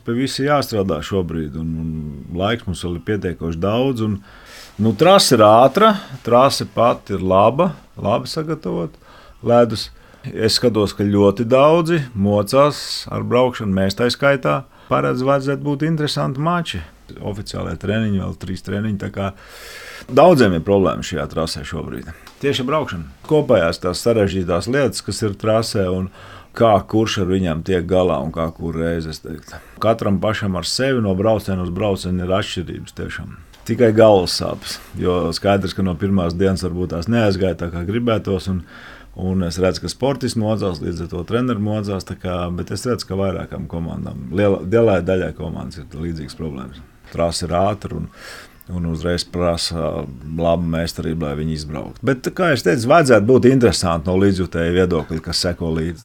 pie visa jāstrādā šobrīd, un laiks mums vēl ir pietiekoši daudz. Trase ir ātra, trase pati ir labi sagatavota. Ledus. Es skatos, ka ļoti daudzi mocās ar braukšanu, mēs tā skaitā. Paredz, vajadzētu būt interesanti mači. Oficiālajā treniņā vēl 3 treniņi. Daudziem ir problēmas šajā trasē šobrīd. Tieši braukšana. Kopējās tās sarežģītās lietas, kas ir trasē un kurš ar viņiem tiek galā un kur reizes. Katram pašam ar sevi no brauciena uz braucienu ir atšķirības tiešām. Tikai galvas sāpes, jo skaidrs, ka no pirmās dienas varbūt tās neaizgāja tā, kā gribētos. Un es redzu, ka sportisti mocās, līdz ar to treneri mocās. Bet es redzu, ka vairākām komandām, lielai daļai komandas ir līdzīgas problēmas. Trase ir ātra un uzreiz prasa labu meistarību, lai viņi izbrauktu. Bet, kā jau teicu, vajadzētu būt interesanti no līdzjutēju viedokļa, kas seko līdzi.